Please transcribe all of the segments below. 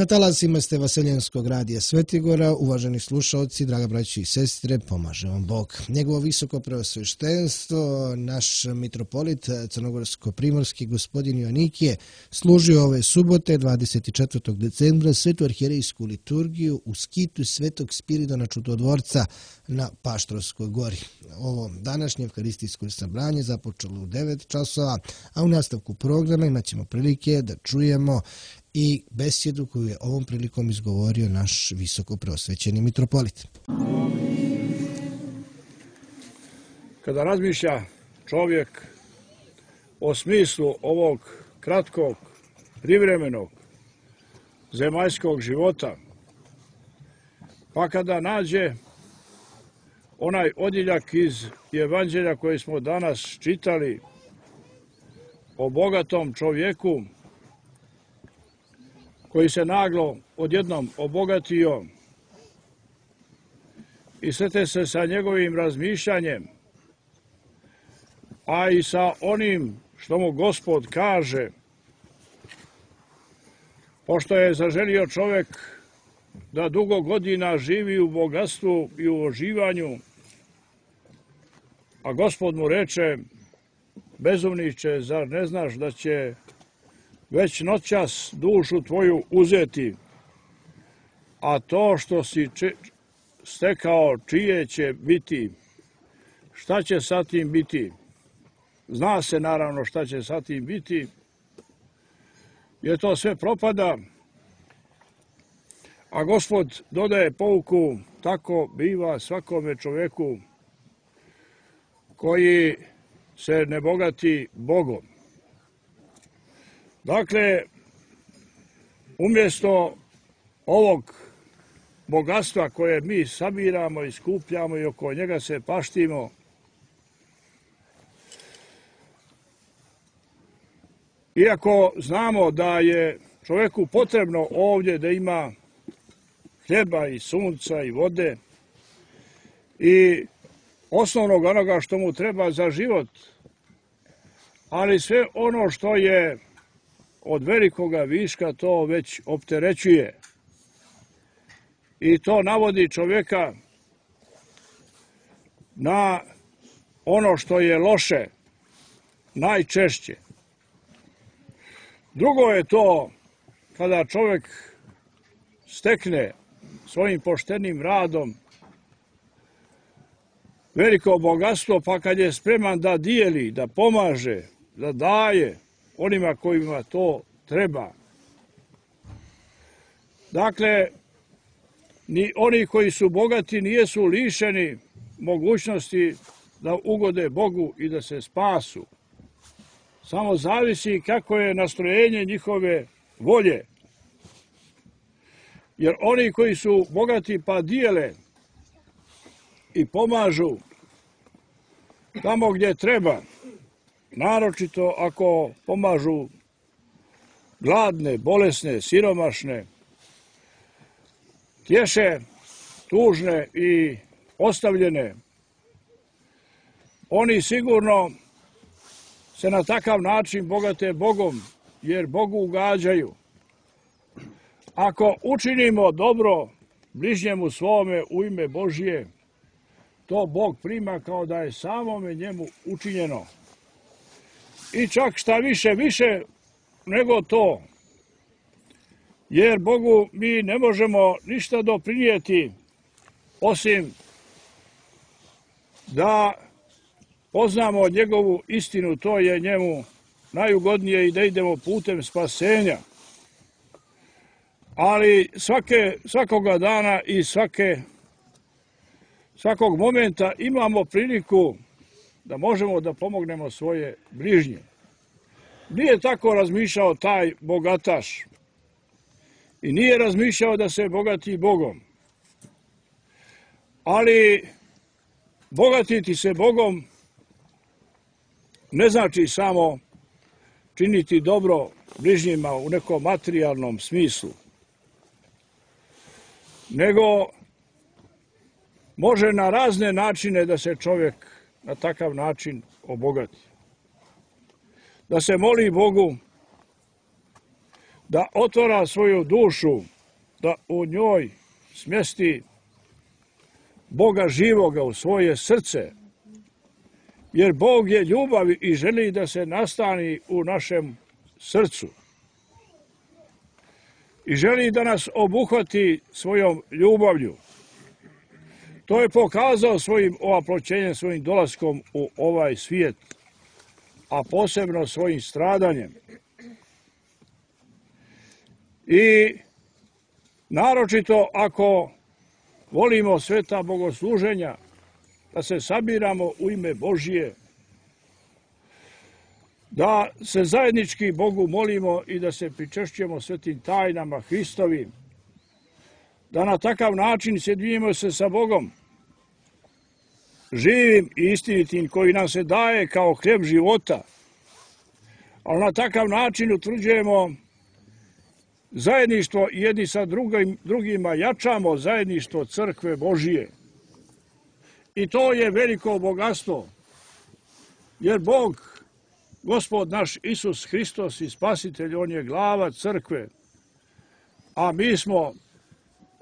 Na talasima ste Vaseljenskog radija Svetigora, uvaženi slušalci, draga braći i sestre, pomaže vam Bog. Njegovo visoko preosveštenstvo, naš mitropolit crnogorsko-primorski gospodin Joanikije, služio ove subote 24. decembra svetu arhijerejsku liturgiju u skitu Svetog Spiridona Čudotvorca na Paštrovskoj gori. Ovo današnje evkaristijsko sabranje započelo u 9 časova, a u nastavku programa imat ćemo prilike da čujemo i besjedu koju je ovom prilikom izgovorio naš visoko preosvećeni mitropolit. Kada razmišlja čovjek o smislu ovog kratkog, privremenog, zemaljskog života, pa kada nađe onaj odjeljak iz Evanđelja koje smo danas čitali o bogatom čovjeku koji se naglo odjednom obogatio i srete se sa njegovim razmišljanjem, a i sa onim što mu Gospod kaže, pošto je zaželio čovjek da dugo godina živi u bogatstvu i u uživanju, a Gospod mu reče: bezumniče, zar ne znaš da će već noćas dušu tvoju uzeti, a to što si stekao čije će biti, šta će sa tim biti? Zna se naravno šta će sa tim biti, jer to sve propada, a Gospod dodaje pouku: tako biva svakome čovjeku koji se ne bogati Bogom. Dakle, umjesto ovog bogatstva koje mi sabiramo i skupljamo i oko njega se paštimo, iako znamo da je čovjeku potrebno ovdje da ima hljeba i sunca i vode i osnovnog onoga što mu treba za život, ali sve ono što je od velikoga viška to već opterećuje i to navodi čovjeka na ono što je loše najčešće. Drugo je to kada čovjek stekne svojim poštenim radom veliko bogatstvo, pa kad je spreman da dijeli, da pomaže, da daje onima kojima to treba. Dakle, ni oni koji su bogati nijesu lišeni mogućnosti da ugode Bogu i da se spasu. Samo zavisi kako je nastrojenje njihove volje. Jer oni koji su bogati pa dijele i pomažu tamo gdje treba, naročito ako pomažu gladne, bolesne, siromašne, tješe tužne i ostavljene, oni sigurno se na takav način bogate Bogom, jer Bogu ugađaju. Ako učinimo dobro bližnjemu svome u ime Božje, to Bog prima kao da je samome njemu učinjeno. I čak šta više nego to, jer Bogu mi ne možemo ništa doprinijeti osim da poznamo njegovu istinu, to je njemu najugodnije, i da idemo putem spasenja. Ali svakoga dana i svakog momenta imamo priliku da možemo da pomognemo svoje bližnje. Nije tako razmišljao taj bogataš i nije razmišljao da se bogati Bogom. Ali bogatiti se Bogom ne znači samo činiti dobro bližnjima u nekom materijalnom smislu, nego može na razne načine da se čovjek na takav način obogati. Da se moli Bogu, da otvara svoju dušu da u njoj smjesti Boga živoga u svoje srce, jer Bog je ljubav i želi da se nastani u našem srcu. I želi da nas obuhvati svojom ljubavlju. To je pokazao svojim ovaproćenjem, svojim dolaskom u ovaj svijet, a posebno svojim stradanjem. I naročito ako volimo sveta bogosluženja, da se sabiramo u ime Božije, da se zajednički Bogu molimo i da se pričešćujemo svetim tajnama Hristovim, da na takav način sjedinimo se sa Bogom, živim i istinitim, koji nam se daje kao hljeb života, ali na takav način utvrđujemo zajedništvo jedni sa drugima, jačamo zajedništvo crkve Božije. I to je veliko bogatstvo, jer Bog, Gospod naš Isus Hristos i Spasitelj, On je glava crkve, a mi smo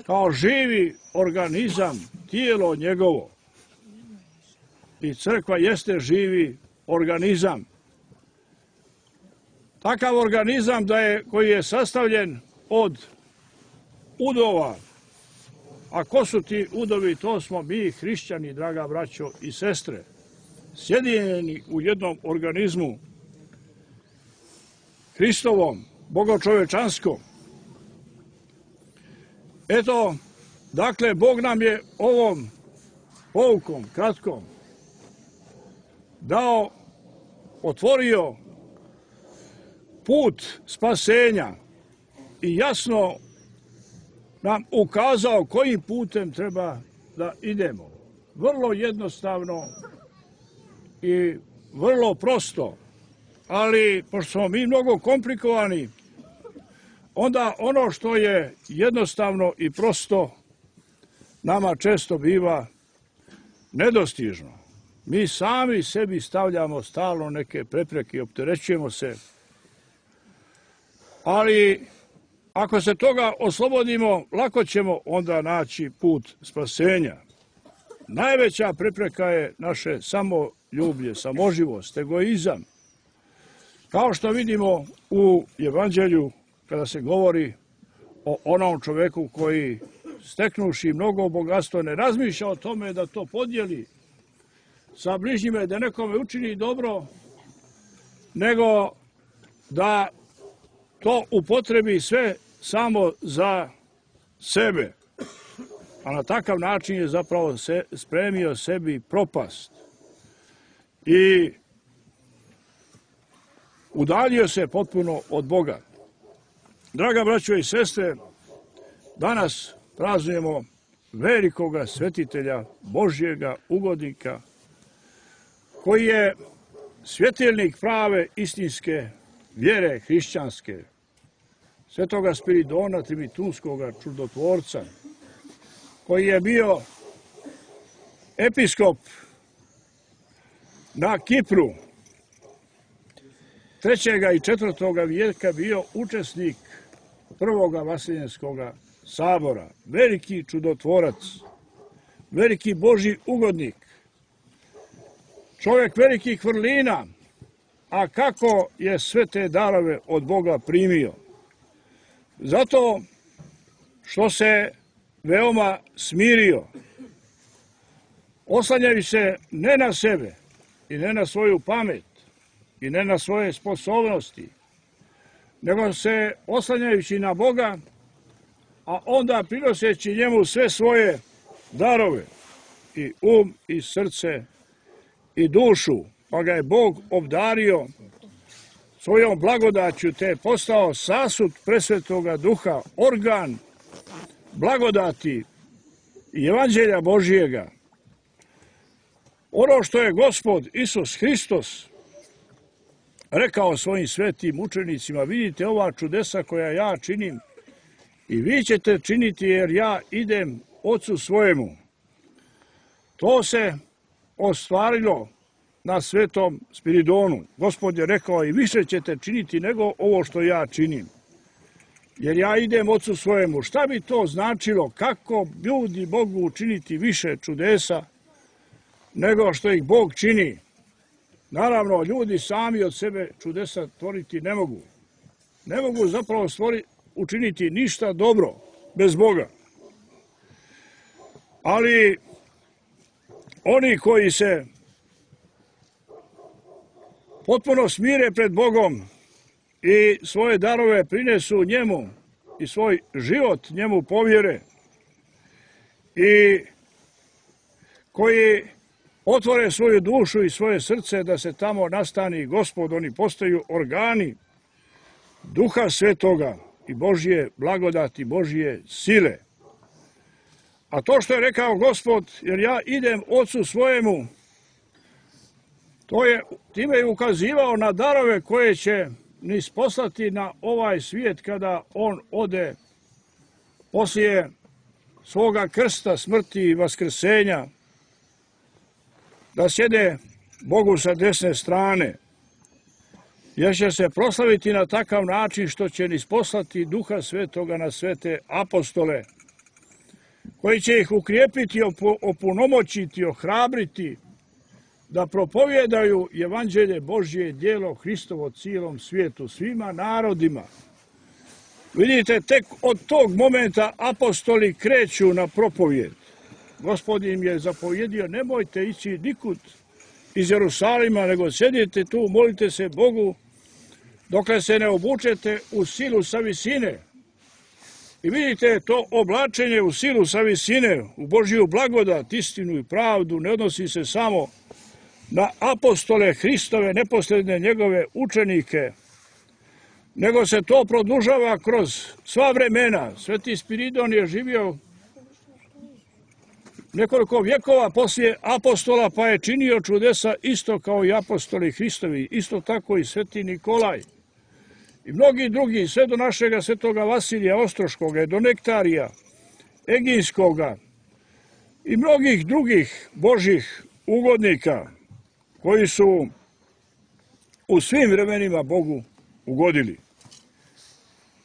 kao živi organizam, tijelo njegovo. I crkva jeste živi organizam. Takav organizam koji je sastavljen od udova. A ko su ti udovi? To smo mi, hrišćani, draga braćo i sestre, sjedinjeni u jednom organizmu Hristovom, bogočovečanskom. Eto, dakle, Bog nam je ovom poukom, kratkom, otvorio put spasenja i jasno nam ukazao kojim putem treba da idemo. Vrlo jednostavno i vrlo prosto, ali pošto smo mi mnogo komplikovani, onda ono što je jednostavno i prosto nama često biva nedostižno. Mi sami sebi stavljamo stalno neke prepreke i opterećujemo se, ali ako se toga oslobodimo, lako ćemo onda naći put spasenja. Najveća prepreka je naše samoljublje, samoživost, egoizam. Kao što vidimo u Evanđelju, kada se govori o onom čoveku koji, steknuši mnogo bogatstva, ne razmišlja o tome da to podijeli sa bližnjima, da nekome učini dobro, nego da to upotrebi sve samo za sebe. A na takav način je zapravo spremio sebi propast. I udaljio se potpuno od Boga. Draga braćo i sestre, danas praznujemo velikoga svetitelja, Božjega ugodnika, koji je svjetilnik prave istinske vjere hrišćanske, svetoga Spiridona Trimitunskoga čudotvorca, koji je bio episkop na Kipru 3. i 4. vijeka, bio učesnik prvoga Vaseljenskoga sabora, veliki čudotvorac, veliki Božji ugodnik, čovjek velikih vrlina, a kako je sve te darove od Boga primio? Zato što se veoma smirio, oslanjajući se ne na sebe i ne na svoju pamet i ne na svoje sposobnosti, nego se oslanjajući na Boga, a onda prinoseći njemu sve svoje darove, i i srce i dušu, pa ga je Bog obdario svojom blagodaću, te je postao sasud presvetoga duha, organ blagodati i evanđelja Božijega. Ono što je Gospod Isus Hristos rekao svojim svetim učenicima: vidite ova čudesa koja ja činim i vi ćete činiti, jer ja idem Ocu svojemu. To se ostvarilo na svetom Spiridonu. Gospod je rekao: i više ćete činiti nego ovo što ja činim. jer ja idem Ocu svojemu. Šta bi to značilo? Kako ljudi mogu učiniti više čudesa nego što ih Bog čini? Naravno, ljudi sami od sebe čudesa tvoriti ne mogu. Ne mogu zapravo učiniti ništa dobro bez Boga. Ali oni koji se potpuno smire pred Bogom i svoje darove prinesu njemu i svoj život njemu povjere i koji otvore svoju dušu i svoje srce da se tamo nastani Gospod, oni postaju organi Duha Svetoga i Božje blagodati, Božje sile. A to što je rekao Gospod, jer ja idem Ocu svojemu, time je ukazivao na darove koje će nas poslati na ovaj svijet kada on ode poslije svoga krsta, smrti i vaskrsenja, da sjede Bogu sa desne strane, jer će se proslaviti na takav način što će nas poslati Duha Svetoga na sve te apostole, koji će ih ukrijepiti, opunomoćiti, ohrabriti, da propovjedaju evanđelje Božje, djelo Hristovo cijelom svijetu, svima narodima. Vidite, tek od tog momenta apostoli kreću na propovjed. Gospod im je zapovjedio, nemojte ići nikud iz Jerusalima, nego sjedite tu, molite se Bogu, dokle se ne obučete u silu sa visine. I vidite, to oblačenje u silu sa visine, u Božju blagodat, istinu i pravdu, ne odnosi se samo na apostole Hristove, neposredne njegove učenike, nego se to produžava kroz sva vremena. Sveti Spiridon je živio nekoliko vjekova poslije apostola, pa je činio čudesa isto kao i apostoli Hristovi, isto tako i sveti Nikolaj. I mnogi drugi, sve do našega svetoga Vasilija Ostroškoga, do Nektarija, Egijskoga i mnogih drugih Božih ugodnika koji su u svim vremenima Bogu ugodili.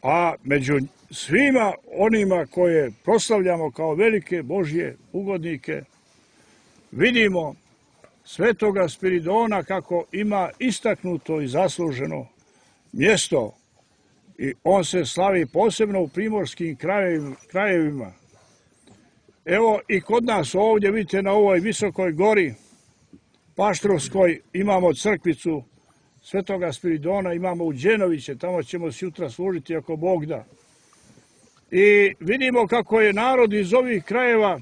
A među svima onima koje proslavljamo kao velike Božje ugodnike, vidimo svetoga Spiridona kako ima istaknuto i zasluženo mjesto i on se slavi posebno u primorskim krajevima. Evo i kod nas ovdje, vidite, na ovoj visokoj gori Paštrovskoj imamo crkvicu svetoga Spiridona, imamo u Đenoviće, tamo ćemo sutra služiti ako Bog da. I vidimo kako je narod iz ovih krajeva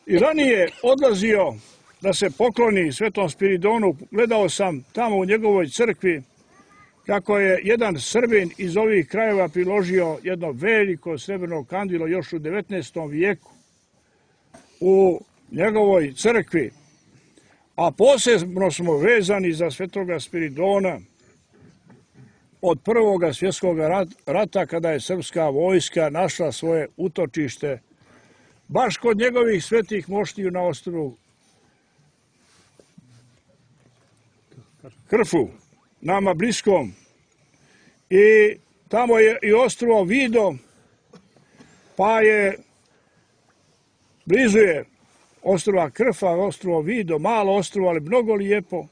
i ranije odlazio da se pokloni svetom Spiridonu. Gledao sam tamo u njegovoj crkvi kako je jedan Srbin iz ovih krajeva priložio jedno veliko srebrno kandilo još u 19. vijeku u njegovoj crkvi. A posebno smo vezani za svetoga Spiridona od Prvoga svjetskog rata, kada je srpska vojska našla svoje utočište baš kod njegovih svetih moštiju na ostrvu Krfu, nama bliskom. I tamo je i ostrvo Vido, pa je blizu je ostrva Krfa, ostrvo Vido, malo ostrvo, ali mnogo lijepo.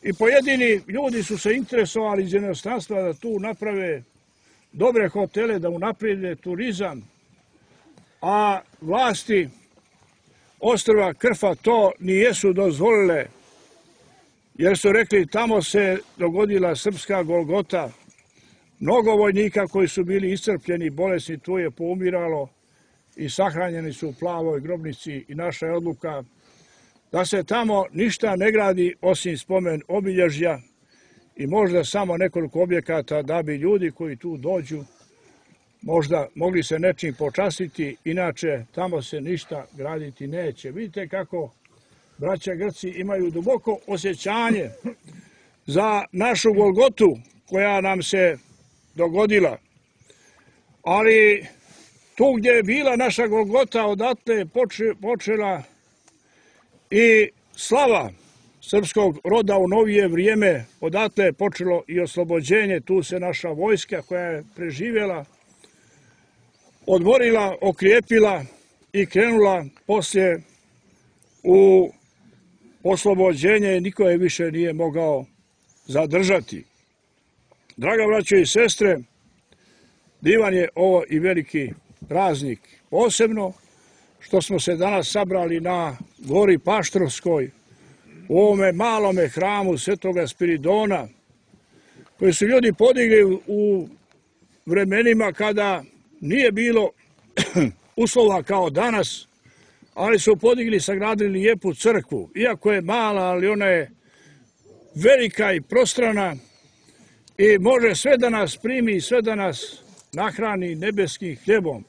I pojedini ljudi su se interesovali iz inostranstva da tu naprave dobre hotele, da unaprijede turizam, a vlasti ostrva Krfa to nijesu dozvolile, jer su rekli tamo se dogodila srpska Golgota. Mnogo vojnika koji su bili iscrpljeni, bolesni, tu je poumiralo i sahranjeni su u plavoj grobnici i naša je odluka da se tamo ništa ne gradi osim spomen obilježja i možda samo nekoliko objekata da bi ljudi koji tu dođu možda mogli se nečim počastiti, inače tamo se ništa graditi neće. Vidite kako braća Grci imaju duboko osjećanje za našu Golgotu koja nam se dogodila. Ali tu gdje je bila naša Golgota, odatle je počela i slava srpskog roda u novije vrijeme, odatle je počelo i oslobođenje, tu se naša vojska koja je preživjela, odmorila, okrijepila i krenula poslije u oslobođenje i niko je više nije mogao zadržati. Draga braćo i sestre, divan je ovo i veliki praznik, posebno što smo se danas sabrali na gori Paštrovskoj, u ovome malome hramu Svetoga Spiridona, koji su ljudi podigli u vremenima kada nije bilo uslova kao danas, ali su podigli, sagradili lijepu crkvu. Iako je mala, ali ona je velika i prostrana i može sve da nas primi i sve da nas nahrani nebeskim hljebom.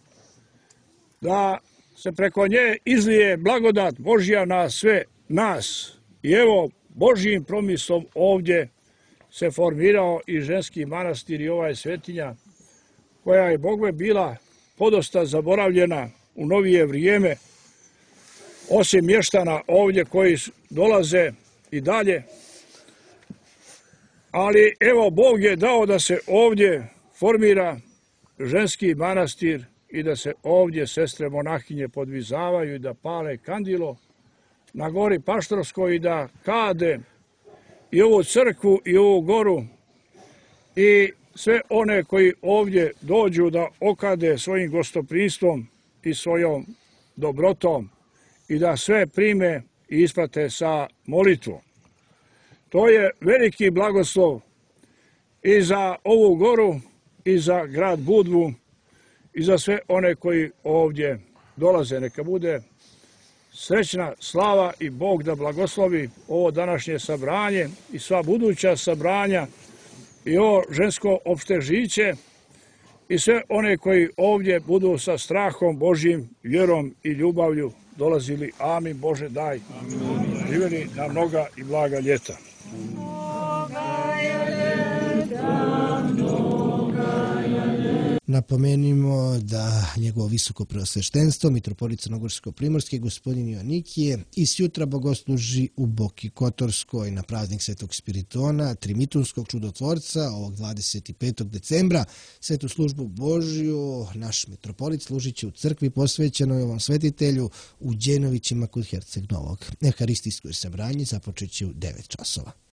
Da se preko nje izlije blagodat Božja na sve nas. I evo, Božjim promislom ovdje se formirao i ženski manastir i ova je svetinja, koja je Bogme bila podosta zaboravljena u novije vrijeme, osim mještana ovdje koji dolaze i dalje. Ali evo, Bog je dao da se ovdje formira ženski manastir i da se ovdje sestre monahinje podvizavaju i da pale kandilo na gori Paštrovskoj i da kade i ovu crkvu i ovu goru i sve one koji ovdje dođu da okade svojim gostoprimstvom i svojom dobrotom i da sve prime i isprate sa molitvom. To je veliki blagoslov i za ovu goru i za grad Budvu i za sve one koji ovdje dolaze. Neka bude srećna slava i Bog da blagoslovi ovo današnje sabranje i sva buduća sabranja i ovo žensko opštežiće i sve one koji ovdje budu sa strahom Božjim, vjerom i ljubavlju dolazili. Amin. Bože daj. Živjeli na mnoga i blaga ljeta. Napomenimo da njegovo visoko preosveštenstvo, mitropolit crnogorsko-primorski, gospodin Joannikije, i sjutra bogosluži u Boki Kotorskoj na praznik Svetog Spiridona, Trimitunskog čudotvorca, ovog 25. decembra. Svetu službu Božju naš mitropolit služit će u crkvi posvećenoj ovom svetitelju u Đenovićima kod Herceg Novog. Euharistijsko sabranje započet će u 9 časova.